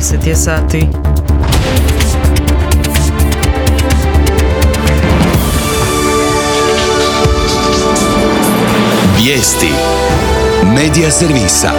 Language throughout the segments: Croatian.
10 je sati. Vijesti Medija servisa.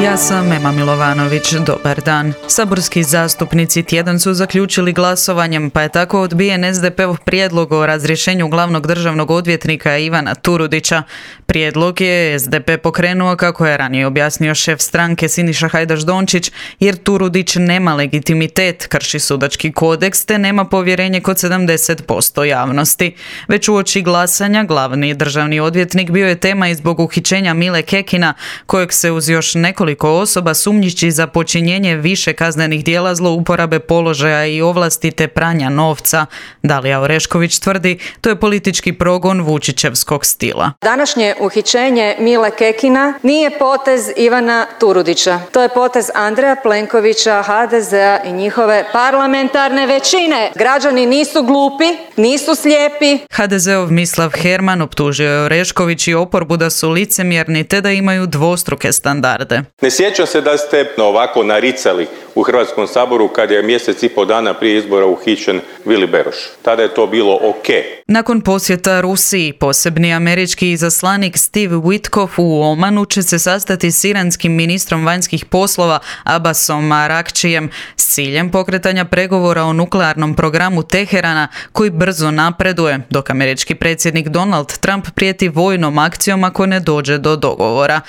Ja sam Ema Milovanović, dobar dan. Saborski zastupnici tjedan su zaključili glasovanjem, pa je tako odbijen SDP-ov prijedlog o razrješenju glavnog državnog odvjetnika Ivana Turudića. Prijedlog je SDP pokrenuo, kako je ranije objasnio šef stranke Siniša Hajdaš Dončić, jer Turudić nema legitimitet, krši sudački kodeks te nema povjerenje kod 70% javnosti. Već uoči glasanja glavni državni odvjetnik bio je tema i zbog uhićenja Mile Kekina, kojeg se uz još nekoliko osoba sumnjiči za počinjenje više kaznenih djela zlouporabe položaja i ovlasti te pranja novca. Dalija Orešković tvrdi, to je politički progon Vučićevskog stila. Današnje uhićenje Mile Kekina nije potez Ivana Turudića. To je potez Andreja Plenkovića, HDZ-a i njihove parlamentarne većine. Građani nisu glupi, nisu slijepi. HDZ-ov Mislav Herman optužio je Orešković i oporbu da su licemjerni te da imaju dvostruke standarde. Ne sjećam se da ste ovako naricali u Hrvatskom saboru kad je mjesec i pol dana prije izbora uhićen Vili Beroš. Tada je to bilo ok. Nakon posjeta Rusiji, posebni američki izaslanik Steve Witkoff u Omanu će se sastati s iranskim ministrom vanjskih poslova Abbasom Arakčijem s ciljem pokretanja pregovora o nuklearnom programu Teherana koji brzo napreduje, dok američki predsjednik Donald Trump prijeti vojnom akcijom ako ne dođe do dogovora.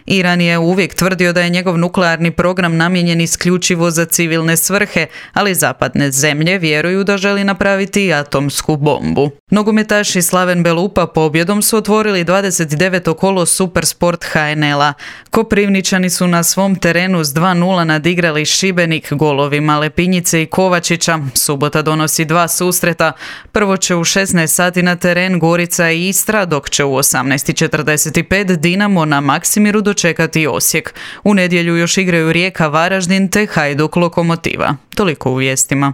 Iran je uvijek tvrdio da je njegov nuklearni program namijenjen isključivo za civilne svrhe, ali zapadne zemlje vjeruju da želi napraviti atomsku bombu. Nogometaši Slaven Belupa pobjedom su otvorili 29. kolo Supersport HNL-a. Koprivničani su na svom terenu s 2:0 nadigrali Šibenik golovima Lepinjice i Kovačića. Subota donosi dva susreta. Prvo će u 16 sati na teren Gorica i Istra, dok će u 18:45 Dinamo na Maksimiru dočekati Osijek. U nedjelju još igraju Rijeka Varaždin te Hajduk Lokomotiva. Toliko u vijestima.